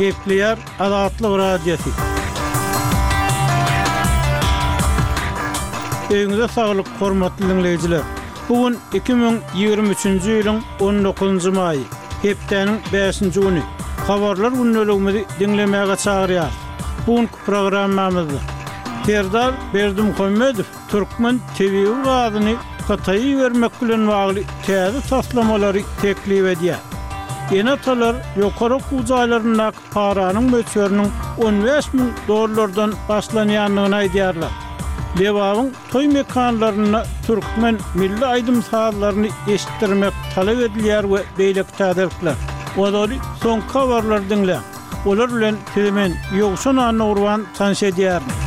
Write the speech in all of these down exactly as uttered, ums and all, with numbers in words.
Gepleýär Azatlyk Radiosy. Öýüňize saglyk, hormatly diňleýjiler. Bu gün iki müň ýigrimi üçünji ýylyň on dokuzynjy maýy, hepdäniň bäşinji güni. Habarlar gündeligimizi diňlemäge çagyrýarys. Bu günki programmamyzda Serdar Berdimuhamedow türkmen tebigy gazyny Hytaýa ibermek bilen bagly täze taslamalary teklip edýär. Ene-atalar ýokary okuw jaýlaryndaky paranyň möçberiniň on bäş müň dollardan başlanýandygyny aýdýarlar. Lebabyň toý mekanlarynda türkmen milli aýdym-sazlaryny eşitdirmek talap edilýär we beýleki täzelikler. Ozaly soňky habarlary diňläň. Olar bilen sizi men, Ýowşan Annagurban tanyş edýärin.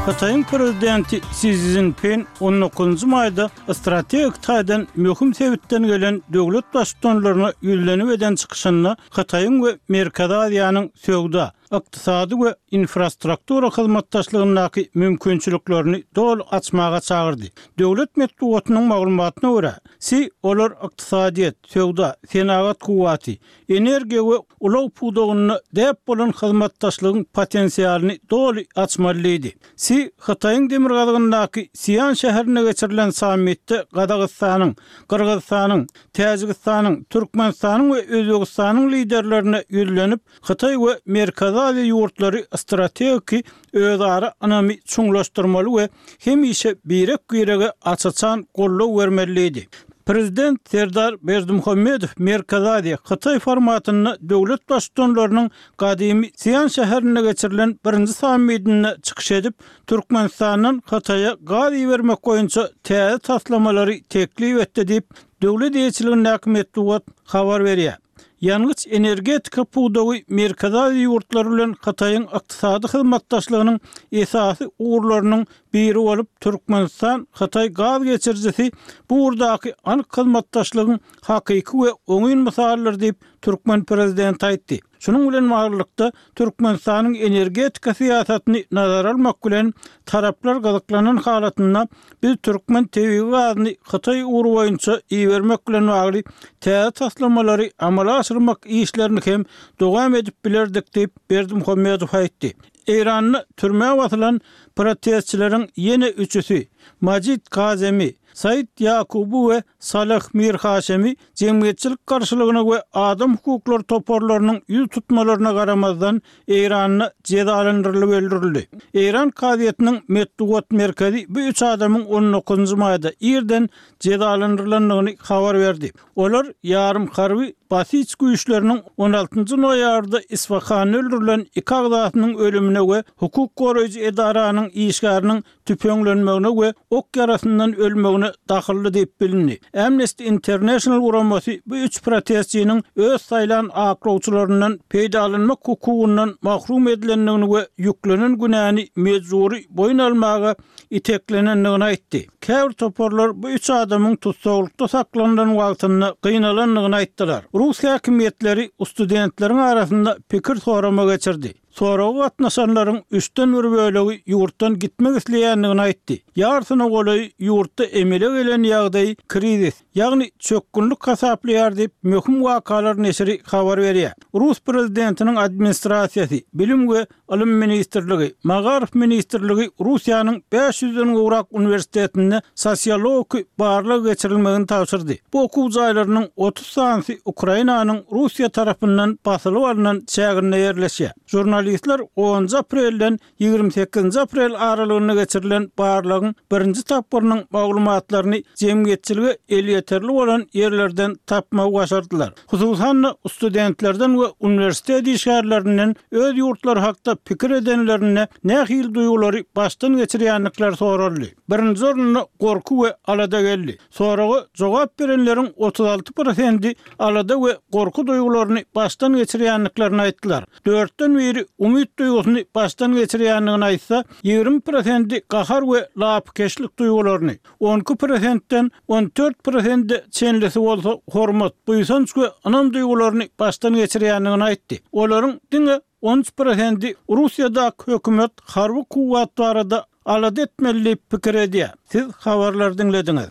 Hytaýyň prezidenti Si Szinpin on dokuzynjy maýda strategik taýdan möhüm sebitden gelen döwlet baştutanlaryna ýüzlenip eden çykyşynda Hytaýyň we Merkezi Aziýanyň söwda, ykdysady we infrastruktura hyzmatdaşlygyndaky mümkinçiliklerini doly açmaga çagyrdy. Döwlet metbugatynyň maglumatyna görä, Si olar ykdysadyýet, söwda, senagat kuwwaty, energiýa we ulag pudagynda däp bolan hyzmatdaşlygyň potensialyny doly açmaly diýdi. Si Hytaýyň demirgazygyndaky Sian şäherinde geçirilen sammitde Gazagystanyň, Gyrgyzystanyň, Täjigistanyň, Türkmenistanyň we Özbegistanyň liderlerine ýüzlenip, Hytaý we Merkezi Aziýa ýurtlary strategiki özara ynamy çuňlaşdyrmaly we hemişe birek-birege aç-açan goldaw bermeli diýdi. Prezident Serdar Berdimuhamedow Merkezi Aziýa, Hytaý formatynda döwlet baştutanlarynyň gadymy Sian şäherinde geçirilen birinji sammitinde çykyş edip, Türkmenistandan Hytaýa gaz ibermek boýunça täze taslamalary teklip etdi diýip, döwlet eýeçiligindäki metbugat habar berýär. Ýangyç-energetika pudagy Merkezi Aziýa ýurtlary bilen Hytaýyň ykdysady hyzmatdaşlygynyň esasy ugurlarynyň biri bolup, Türkmenistan Hytaý gaz geçirijisi bu ugurdaky anyk hyzmatdaşlygyň hakyky we oňyn mysalydyr diýip, türkmen prezidenti aýtdy. Şunuň bilen baglylykda, Türkmenistanyň energetika syýasatyny nazara almak bilen, taraplar gyzyklanan halatynda biz türkmen tebigy gazyny Hytaý ugry boýunça ibermek bilen bagly täze taslamalary amala aşyrmak işlerini hem dowam edip bilerdik diýip, Berdimuhamedow aýtdy. Eýranda türmä basylan protestçileriň ýene üçüsi, Majid Kazemi, Said Ýakuby we Salah Mirhaşemi jemgyýetçilik garşylygyna we adam hukuklary toparlarynyň ýüz tutmalaryna garamazdan, Eýranda jezalandyrylyp öldürildi. Eýran kazyýetiniň metbugat merkezi bu üç adamyň on dokuzynjy maýda irden jezalandyrylandygyny habar berdi. Olar ýarym harby Basij güýçleriniň on altynjy noýabrda Isfahanda öldürilen iki agzasynyň ölümine we hukuk goraýjy edaranyň işgäriniň tüpeňlenmegine we ok ýarasyndan ölmegine dahylly diýip bilindi. Amnesty International guramasy bu üç protestçiniň öz saýlan aklawçylaryndan peýdalanmak hukugyndan mahrum edilendigini we ýüklenen günäni mejbury boýun almaga iteklenendigini aýtdy. Käbir toparlar bu üç adamyň tussaglykda saklanylan wagtynda gynalandygyny aýtdylar. Rus häkimiýetleri studentleriň arasynda pikir sorama geçirdi. Soraga gatnaşanlaryň üçden bir bölegi ýurtdan gitmek isleýändigini aýtdy. Ýarsyna golaýy ýurtda emele gelen ýagdaýy krizis, ýagny çökgünlik hasaplaýar diýip, Möhüm wakalar neşiri habar berýär. Rus prezidentiniň administrasiýasy, Bilim we ylym ministrligi, Magaryf ministrligi Russiýanyň bäş ýüzden gowrak uniwersitetinde sosiologiki barlag geçirilmegini tabşyrdy. Bu okuw jaýlarynyň otuz sanysy Ukrainanyň Russiýa tarapyndan basylyp alnan çäginde ýerleşýär. Žurnalistler onunjy aprelden ýigrimi sekizinji aprel aralygynda geçirilen barlagyň birinji tapgyrynyň maglumatlaryny jemgyýetçilige elýeterli bolan ýerlerden tapmagy başardylar. Hususan-da, studentlerden we uniwersitet işgärlerinden öz ýurtlary hakda pikir edenlerinde nähili duýgulary başdan geçirýändikleri soraldy. Birinji orunda gorky we alada geldi. Soraga jogap berenleriň otuz alty prosendi alada we gorky duýgularyny başdan geçirýändiklerini aýtdylar. Dörtden biri umyt duýgusyny başdan geçirýändigini aýtsa, ýigrimi prosendi gahar we lapykeçlik duýgularyny, on iki prosentden on dört prosende çenlisi bolsa hormat, buýsanç we ynam duýgularyny başdan geçirýändigini aýtdy. Olaryň diňe on üç prosendi Russiýadaky hökümet harby kuwwat barada alada etmeli diýip pikir edýär. Siz habarlary diňlediňiz.